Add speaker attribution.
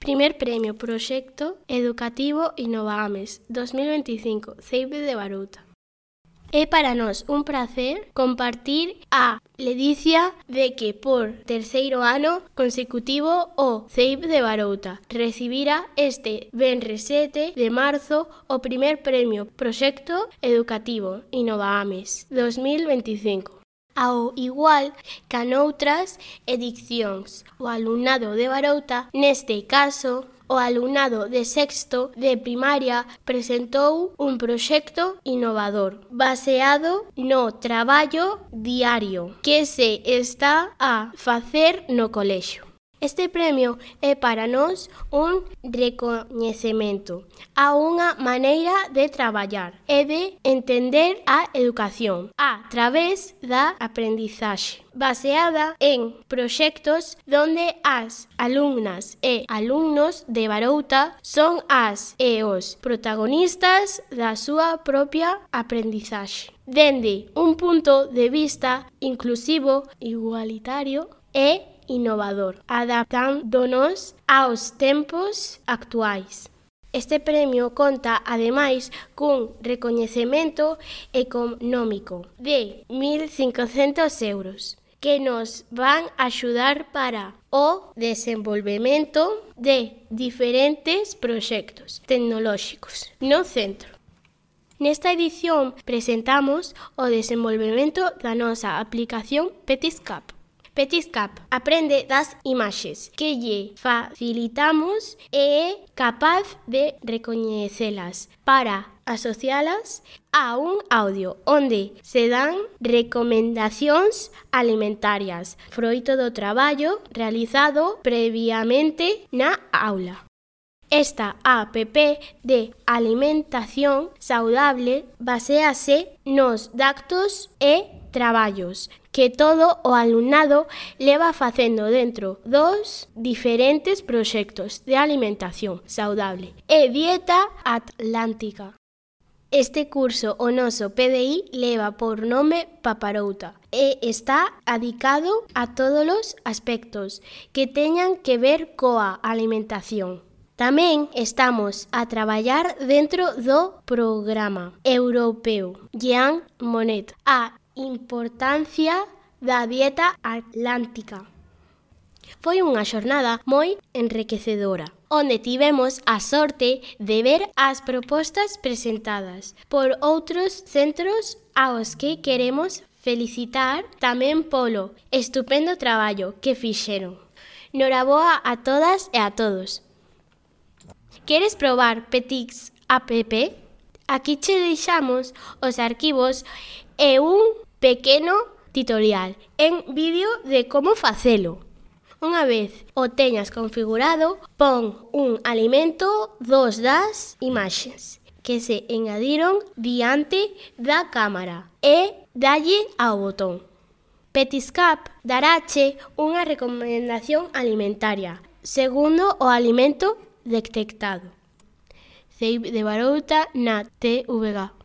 Speaker 1: Primer premio Proxecto Educativo Innovaames 2025, CEIP de Barouta. É para nós un prazer compartir a ledicia de que por terceiro ano consecutivo o CEIP de Barouta recibira este venres 7 de marzo o primer premio Proxecto Educativo Innovaames 2025. Ao igual que noutras edicións, o alumnado de Barouta, neste caso, o alumnado de sexto de primaria presentou un proxecto innovador baseado no traballo diario que se está a facer no colexio. Este premio é para nós un recoñecemento a unha maneira de traballar e de entender a educación a través da aprendizaxe, baseada en proxectos donde as alumnas e alumnos de Barouta son as e os protagonistas da súa propia aprendizaxe. Dende un punto de vista inclusivo, igualitario e innovador, adaptándonos aos tempos actuais. Este premio conta, ademais, cun recoñecemento económico de 1.500 euros que nos van axudar para o desenvolvemento de diferentes proxectos tecnolóxicos no centro. Nesta edición presentamos o desenvolvemento da nosa aplicación Petiscap. Petiscap aprende das imaxes que lle facilitamos e é capaz de recoñecelas para asocialas a un audio onde se dan recomendacións alimentarias, froito do traballo realizado previamente na aula. Esta app de alimentación saudable baséase nos datos e traballos que todo o alumnado leva facendo dentro dos diferentes proxectos de alimentación saudable e dieta atlántica. Este curso o noso PDI leva por nome Paparouta e está adicado a todos os aspectos que teñan que ver coa alimentación. Tamén estamos a traballar dentro do programa europeo Jean Monnet, a importancia da dieta atlántica. Foi unha xornada moi enriquecedora, onde tivemos a sorte de ver as propostas presentadas por outros centros aos que queremos felicitar tamén polo estupendo traballo que fixeron. Noraboa a todas e a todos. Queres probar Petix app? Aquí che deixamos os arquivos e un pequeno tutorial en vídeo de como facelo. Unha vez o teñas configurado, pon un alimento dos das imaxes que se engadiron diante da cámara e dalle ao botón. Petiscap darache unha recomendación alimentaria segundo o alimento detectado. CEIP de Barouta na TVG.